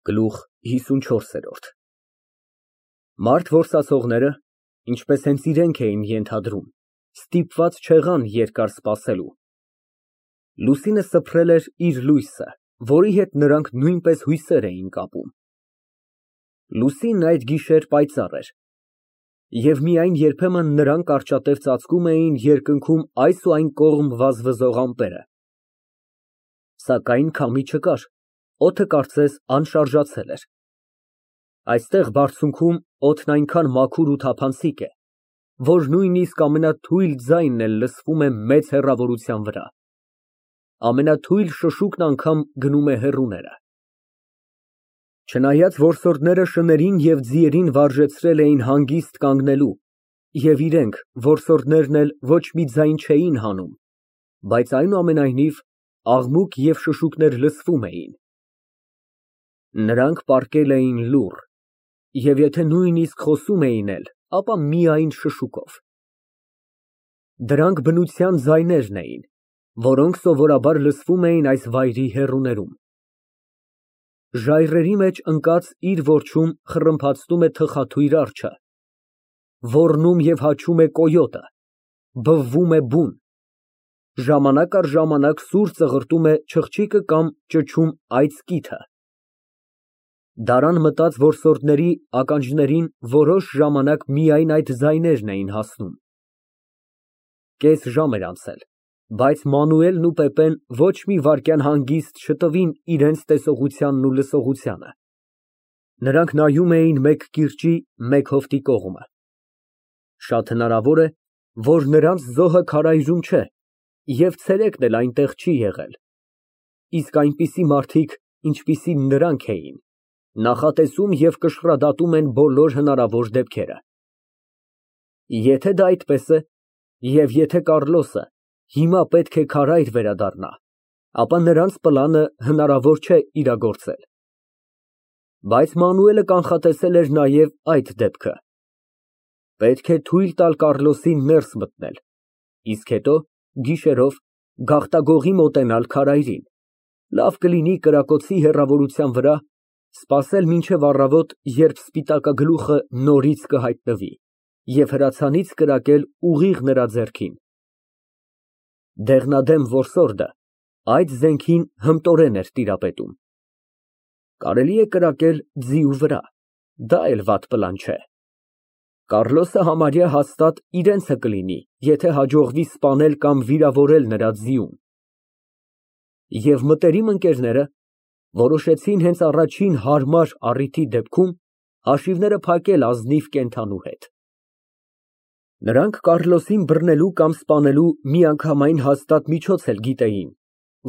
Գլուխ 54 Մարդ որսացողները, ինչպես հենց իրենք էին ենթադրում, ստիպված չեղան երկար սպասելու։ Լուսինը սփռել էր իր լույսը, որի հետ նրանք նույնպես հույսեր էին կապում։ Լուսինն այդ գիշեր պայծառ էր, և միայն երբեմն նրան կարճատև ծածկում էին երկնքում այս ու այն կողմ վազվզող ամպերը։ Սակայն քամի չկար, օդը կարծես անշարժացել էր։ Այստեղ բարձունքում օդն այնքան մաքուր ու թափանցիկ է, որ նույնիսկ ամենաթույլ ձայնն էլ լսվում է մեծ հեռավորության վրա, ամենաթույլ շշուկն անգամ գնում է հեռուները։ Չնայած որսորդները շներին և ձիերին վարժեցրել էին հանգիստ կանգնելու, և իրենք, որսորդներն էլ ոչ մի ձայն չէին հանում, բայց այնուամենայնիվ աղմուկ և շշուկներ լսվում էին։ Նրանք պառկել էին լուռ, և եթե նույնիսկ խոսում էին էլ, ապա միայն շշուկով։ Դրանք բնության ձայներն էին, որոնք սովորաբար լսվում էին այս վայրի հեռուներում։ Ժայռերի մեջ ընկած իր որջում խռմփացնում է թխաթույր արջը, ոռնում և հաչում է կոյոտը, բվվում է բուն, ժամանակ առ ժամանակ սուր ծղրտում է չղջիկը կամ ճչում այծկիթը։ Դարան մտած որսորդների ականջներին որոշ ժամանակ միայն այդ ձայներն էին հասնում։ Կես ժամ էր անցել, բայց Մանուելն ու Պեպեն ոչ մի վայրկյան հանգիստ չտվին իրենց տեսողությանն ու լսողությանը։ Նրանք նայում էին մեկ կիրճի, մեկ հովտի կողմը։ Շատ հնարավոր է, որ նրանց զոհը քարայրում չէ, և ցերեկն էլ այնտեղ չի եղել, իսկ այնպիսի մարդիկ, ինչպիսին նրանք էին, նախատեսում և կշռադատում են բոլոր հնարավոր դեպքերը։ Եթե դա այդպես է, և եթե Կառլոսը հիմա պետք է քարայր վերադառնա, ապա նրանց պլանը հնարավոր չէ իրագործել։ Բայց Մանուելը կանխատեսել էր նաև այդ դեպքը։ Պետք է թույլ տալ Կառլոսին ներս մտնել, իսկ հետո, գիշերով, գաղտագողի մոտենալ քարայրին, լավ կլինի կրակոցի հեռավորության վրա, սպասել մինչև առավոտ, երբ սպիտակագլուխը նորից կհայտնվի, և հրացանից կրակել ուղիղ նրա ձեռքին։ Դեղնադեմ որսորդը այդ զենքին հմտորեն էր տիրապետում։ Կարելի է կրակել ձիու վրա, դա էլ վատ պլան չէ։ Կառլոսը համարյա հաստատ իրենցը կլինի, եթե հաջողվի սպանել կամ վիրավորել նրա ձիուն։ Եվ մտերիմ ընկերները որոշեցին հենց առաջին հարմար առիթի դեպքում հաշիվները փակել ազնիվ կենդանու հետ։ Նրանք Կառլոսին բռնելու կամ սպանելու միանգամայն հաստատ միջոց էլ գիտեին,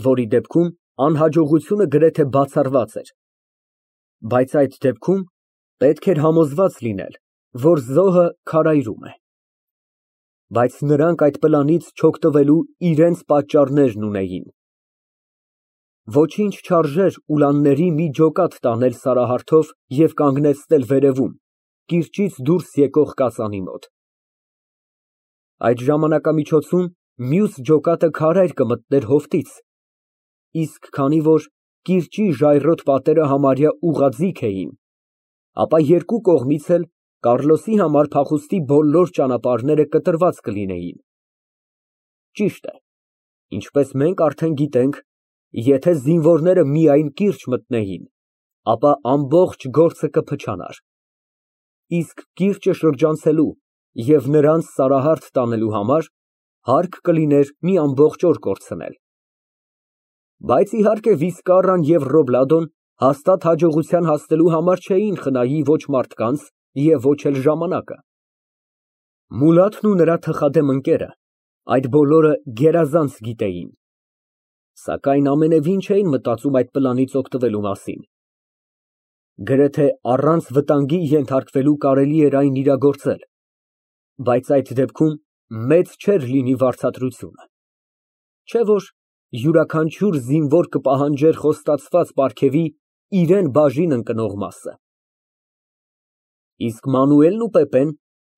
որի դեպքում անհաջողությունը գրեթե բացառված էր։ Բայց այդ դեպքում պետք էր համոզված լինել, որ զոհը քարայրում է։ Բայց նրանք այդ պլանից չօգտվելու իրենց պատճառներն ունեին։ Ոչինչ չարժեր ուլանների մի ջոկատ տանել Սարահարթով և կանգնեցնել վերևում, կիրճից դուրս եկող կածանի մոտ։ Այդ ժամանակամիջոցում մյուս ջոկատը քարայր կմտներ հովտից, իսկ քանի որ կիրճի ժայռոտ պատերը համարյա ուղղաձիգ էին, ապա երկու կողմից էլ Կառլոսի համար փախուստի բոլոր ճանապարհները կտրված կլինեին։ Ճիշտ է, ինչպես մենք արդեն գիտենք, եթե զինվորները միայն կիրճ մտնեին, ապա ամբողջ գործը կփչանար, իսկ կիրճը շրջանցելու և նրանց Սարահարթ տանելու համար հարկ կլիներ մի ամբողջ օր կորցնել։ Բայց իհարկե Վիսկարրան և Ռոբլադոն հաստատ հաջողության հասնելու համար չէին խնայի ոչ մարդկանց և ոչ էլ ժամանակը։ Մուլաթն ու նրա թխադեմ ընկերը այդ բոլորը գերազանց գիտեին, սակայն ամենևին չէին մտածում այդ պլանից օգտվելու մասին։ Գրեթե առանց վտանգի ենթարկվելու կարելի էր այն իրագործել, բայց այդ դեպքում մեծ չէր լինի վարձատրությունը, չէ՞ որ յուրաքանչյուր զինվոր կպահանջեր խոստացված պարգևի իրան բաժին ընկնող մասը։ Իսկ Մանուելն ու Պեպեն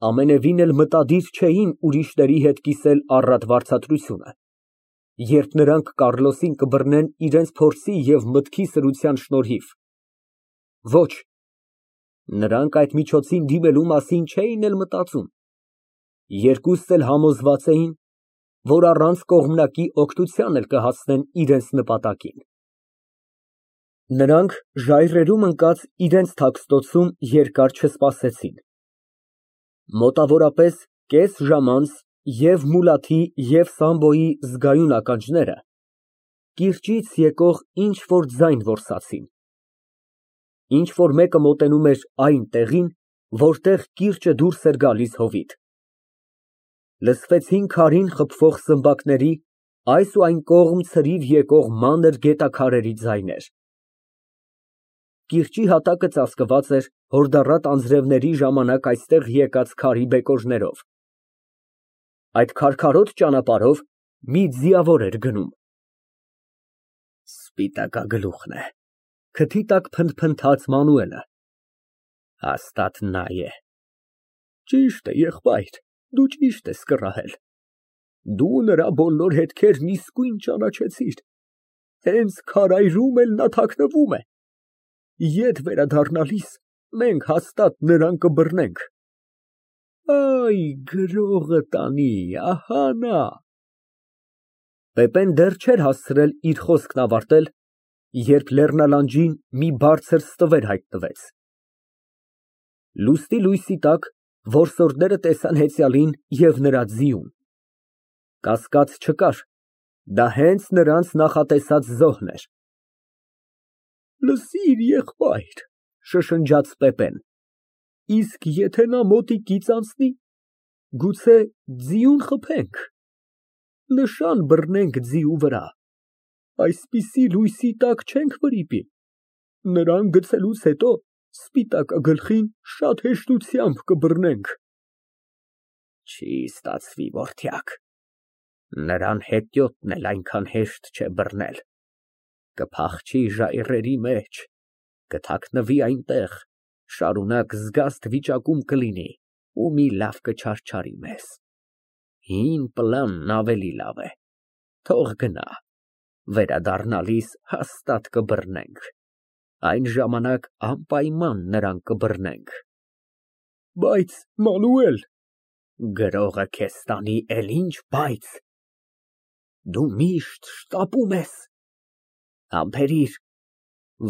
ամենևին էլ մտադիր չէին ուրիշների հետ կիսել առատ վարձատրությունը, երբ նրանք Կառլոսին կբռնեն իրենց փորձի և մտքի սրության շնորհիվ։ Ոչ։ Նրանք այդ միջոցին դիմելու մասին չէին էլ մտածում։ Երկուսն էլ համոզված էին, որ առանց կողմնակի օգնության էլ կհասնեն իրենց նպատակին։ Նրանք ժայռերում ընկած իրենց թաքստոցում երկար չսպասեցին։ Մոտավորապես կես ժամ անց և Մուլաթի, և Սամբոյի զգայուն ականջները կիրճից եկող ինչ֊որ ձայն որսացին։ Ինչ֊որ մեկը մոտենում էր այն տեղին, որտեղ կիրճը դուրս էր գալիս հովիտ։ Լսվեցին քարին խփվող սմբակների, այս ու այն կողմ ցրիվ եկող մանր գետաքարերի ձայներ։ Կիրճի հատակը ծածկված էր հորդառատ անձրևների ժամանակ այստեղ եկած քարի բեկորներով։ Այդ քարքարոտ ճանապարհով մի ձիավոր էր գնում։ Սպիտակագլուխն է, քթի տակ փնթփնթաց Մանուելը։ Հաստատ նա է։ Ճիշտ է, եղբայր, դու ճիշտ ես կռահել։ Դու նրա բոլոր հետքերն իսկույն ճանաչեցիր։ Հենց քարայրում էլ նա թաքնվում է։ Ետ վերադառնալիս մենք հաստատ նրան կբռնենք։ Այ գրողը տանի, ահա նա։ Պեպեն դեռ չէր հասցրել իր խոսքն ավարտել, երբ լեռնալանջին մի բարձր ստվեր հայտնվեց։ Լուսնի լույսի տակ որսորդները տեսան հեծյալին և նրա ձիուն։ Կասկած չկար, դա հենց նրանց նախատեսած զոհն էր։ Լսիր, եղբայր, շշնջաց Պեպեն, իսկ եթե նա մոտիկից անցնի, գուցե ձիուն խփենք, նշան բռնենք ձիու վրա, այսպիսի լույսի տակ չենք վրիպի, նրան գցելուց հետո սպիտակագլխին շատ հեշտությամբ կբռնենք։ Չի ստացվի, որդյակ, նրան հետիոտն էլ այնքան հեշտ չէ բռնել, կփախչի ժայռերի մեջ, կթաքնվի այնտեղ, շարունակ զգաստ վիճակում կլինի ու մի լավ կչարչարի մեզ։ Հին պլանն ավելի լավ է, թող գնա, վերադառնալիս հաստատ կբռնենք, այն ժամանակ անպայման նրան կբռնենք։ Բայց, Մանուել… Գրողը քեզ տանի, էլ ինչ բայց… Դու միշտ շտապում ես։ Համբերիր,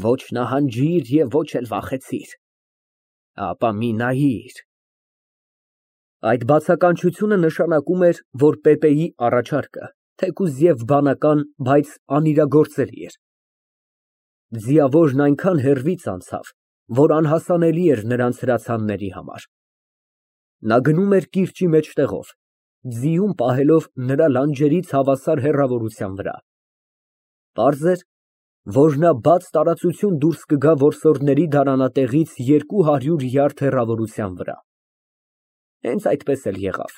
ոչ նահանջիր և ոչ էլ վախեցիր, ապա մի նայիր… Այդ բացականչությունը նշանակում էր, որ Պեպեի առաջարկը, թեկուզ և բանական, բայց անիրագործելի էր։ Ձիավորն այնքան հեռվից անցավ, որ անհասանելի էր նրանց հրացանների համար։ Նա գնում էր կիրճի մեջտեղով, ձիուն պահելով նրա լանջերից հավասար հեռավորության վրա։ Պարզ էր, որ նա բաց տարածություն դուրս կգա որսորդների դարանատեղից 200 յարդ հեռավորության վրա։ Հենց այդպես էլ եղավ։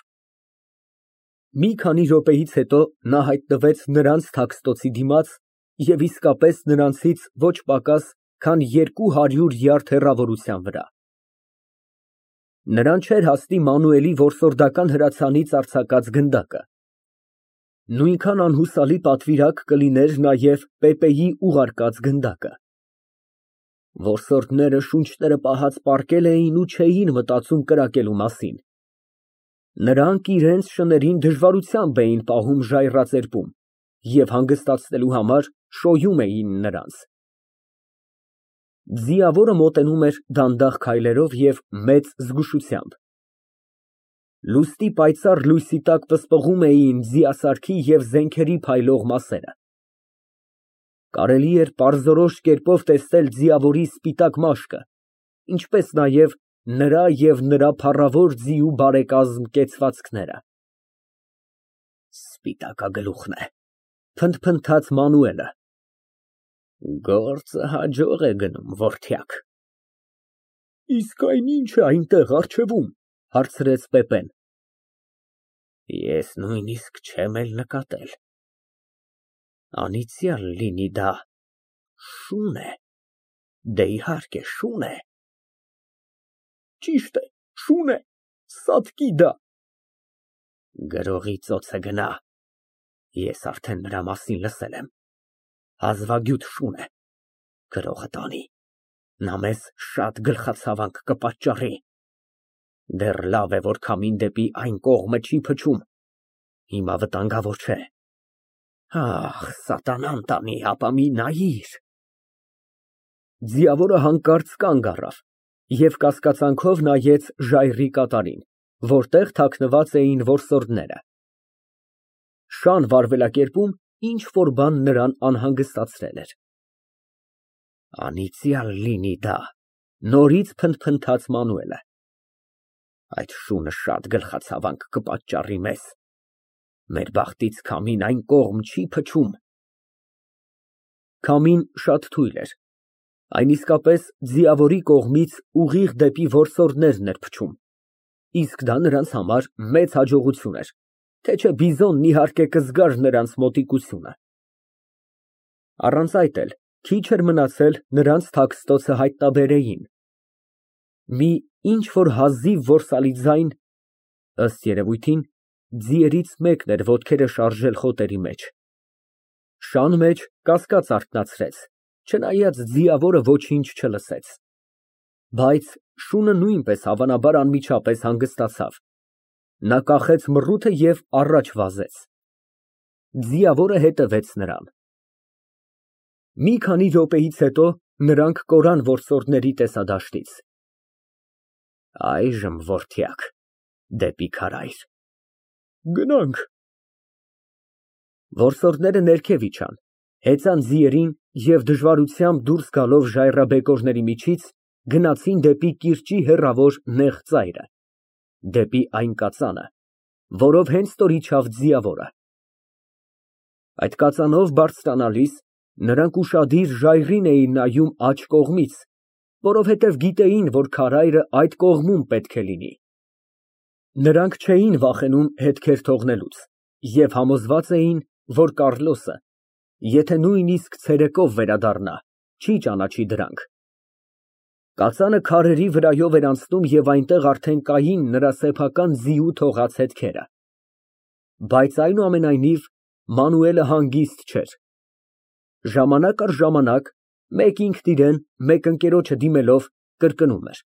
Մի քանի րոպեից հետո նա հայտնվեց նրանց թաքստոցի դիմաց և իսկապես նրանցից ոչ պակաս, քան 200 յարդ հեռավորության վրա։ Նրան չէր հասնի Մանուելի որսորդական հրացանից արձակած գնդակը։ Նույնքան անհուսալի պատվիրակ կլիներ նաև Պեպեի ուղարկած գնդակը։ Որսորդները շունչները պահած պառկել էին ու չէին մտածում կրակելու մասին։ Նրանք իրենց շներին դժվարությամբ էին պահում ժայռաձերբում և հանգստացնելու համար շոյում էին նրանց։ Ձիավորը մոտենում էր դանդաղ քայլերով և մեծ զգուշությամբ։ Լուսնի պայծառ լույսի տակ պսպղում էին ձիասարքի և զենքերի փայլող մասերը։ Կարելի էր պարզորոշ կերպով տեսնել ձիավորի սպիտակ մաշկը, ինչպես նաև նրա և նրա փառավոր ձիու բարեկազմ կեցվածքները։ Սպիտակագլուխն է, փնթփնթաց Մանուելը։ Գործը հաջող է գնում, որդյակ։ Իսկ այն ի՞նչ է այնտեղ առջևում, հարցրեց Պեպեն։ Ես նույնիսկ չեմ էլ նկատել։ Անիծյալ լինի դա շուն է, դե իհարկե շուն է։ Ճիշտ է, շուն է, սատկի դա։ Գրողի ծոցը գնա, ես արդեն նրա մասին լսել եմ, հազվագյուտ շուն է, գրողը տանի, նա մեզ շատ գլխացավանք կպատճառի։ Դեռ լավ է, որ քամին դեպի այն կողմը չի փչում, հիմա վտանգավոր չէ։ Ախ, սատանան տանի, ապա մի նայիր։ Ձիավորը հանկարծ կանգ առավ և կասկածանքով նայեց ժայռի կատարին, որտեղ թաքնված էին որսորդները։ Շան վարվելակերպում ինչ֊որ բան նրան անհանգստացրել էր։ Անիծյալ լինի դա, նորից փնթփնթաց Մանուելը։ Այդ շունը շատ գլխացավանք կպատճառի մեզ։ Մեր բախտից քամին այն կողմ չի փչում։ Քամին շատ թույլ էր, այն իսկապես ձիավորի կողմից ուղիղ դեպի որսորդներն էր փչում, իսկ դա նրանց համար մեծ հաջողություն էր, թե չէ բիզոնն իհարկե կզգար նրանց մոտիկությունը։ Առանց այդ էլ քիչ էր մնացել նրանց թաքստոցը հայտնաբերեին։ Մի ինչ֊որ հազիվ որսալի ձայն, ըստ երևույթին, ձիերից մեկն էր ոտքերը շարժել խոտերի մեջ։ Շան մեջ կասկած արթնացրեց, չնայած ձիավորը ոչինչ չլսեց։ Բայց շունը նույնպես հավանաբար անմիջապես հանգստացավ։ Նա կախեց մռութը և առաջ վազեց։ Ձիավորը հետևեց նրան։ Մի քանի րոպեից հետո նրանք կորան որսորդների տեսադաշտից։ Այժմ, որդյակ, դեպի քարայր։ Գնանք։ Որսորդները ներքև իջան, հեծան ձիերին և դժվարությամբ դուրս գալով ժայռաբեկորների միջից գնացին դեպի կիրճի հեռավոր նեղ ծայրը, դեպի այն կածանը, որով հենց նոր իջավ ձիավորը։ Այդ կածանով բարձրանալիս նրանք ուշադիր ժայռին էին նայում աջ կողմից, որովհետև գիտեին, որ քարայրը այդ կողմում պետք է լինի։ Նրանք չէին վախենում հետքեր թողնելուց և համոզված էին, որ Կառլոսը, եթե նույնիսկ ցերեկով վերադառնա, չի ճանաչի դրանք։ Կածանը քարերի վրայով էր անցնում և այնտեղ արդեն կային նրա սեփական ձիու թողած հետքերը։ Բայց այնուամենայնիվ Մանուելը հանգիստ չէր։ Ժամանակ առ ժամանակ, մեկ ինքն իրեն, մեկ ընկերոջը դիմելով, կրկնում էր.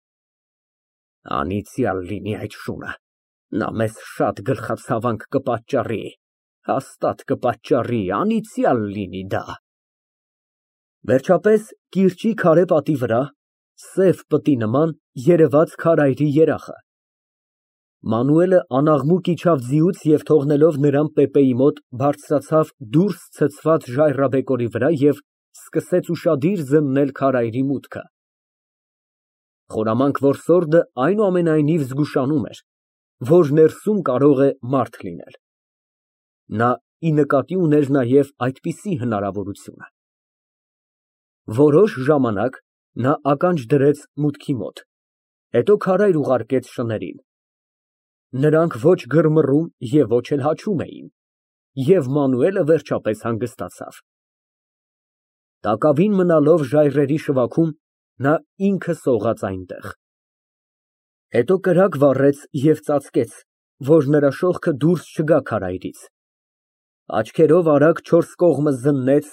Անիծյալ լինի այդ շունը, նա մեզ շատ գլխացավանք կպատճառի, հաստատ կպատճառի, անիծյալ լինի դա։ Վերջապես կիրճի քարե պատի վրա, սև պտի նման, երևաց քարայրի երախը։ Մանուելը անաղմուկ իջավ ձիուց և թողնելով նրան Պեպեի մոտ, բարձրացավ դուրս ցցված ժայռաբեկորի վրա և սկսեց ուշադիր զննել քարայրի մուտքը։ Խորամանկ որսորդը այնուամենայնիվ զգուշանում էր, որ ներսում կարող է մարդ լինել։ Նա ի նկատի ուներ նաև այդպիսի հնարավորությունը։ Որոշ ժամանակ նա ականջ դրեց մուտքի մոտ, հետո քարայր ուղարկեց շներին։ Նրանք ոչ գրմռում և ոչ էլ հաչում էին, և Մանուելը վերջապես հանգստացավ։ Տակավին մնալով ժայռերի շվաքում, նա ինքը սողաց այնտեղ։ Հետո կրակ վառեց և ծածկեց, որ նրա շողքը դուրս չգա քարայրից։ Աչքերով արագ չորս կողմը զննեց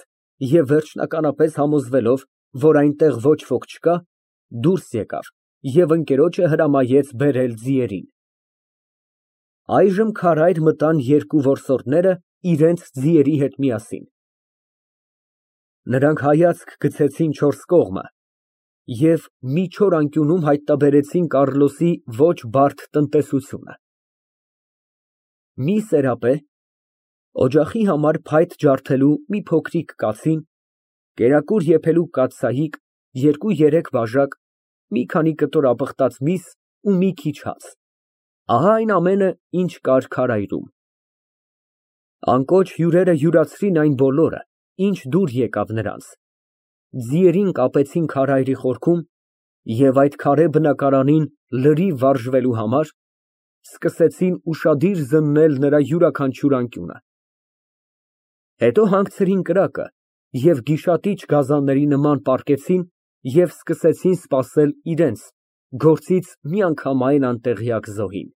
և վերջնականապես համոզվելով, որ այնտեղ ոչ ոք չկա, դուրս եկավ և ընկերոջը հրամայեց բերել ձիերին։ Այժմ քարայր մտան երկու որսորդները իրենց ձիերի հետ միասին։ Նրանք հայացք գցեցին չորս կողմը և մի չոր անկյունում հայտնաբերեցին Կառլոսի ոչ բարդ տնտեսությունը։ Մի սերապե, օջախի համար փայտ ջարդելու մի փոքրիկ կացին, կերակուր եփելու կաթսայիկ, 2-3 բաժակ, մի քանի կտոր ապխտած միս ու մի քիչ հաց, ահա այն ամենը, ինչ կար քարայրում։ Անկոչ հյուրերը յուրացրին այն բոլորը, ինչ դուր եկավ նրանց, ձիերին կապեցին քարայրի խորքում և այդ քարե բնակարանին լրիվ վարժվելու համար սկսեցին ուշադիր զննել նրա յուրաքանչյուր անկյունը։ Հետո հանգցրին կրակը և գիշատիչ գազանների նման պառկեցին և սկսեցին սպասել իրենց, գործից միանգամայն անտեղյակ զոհին։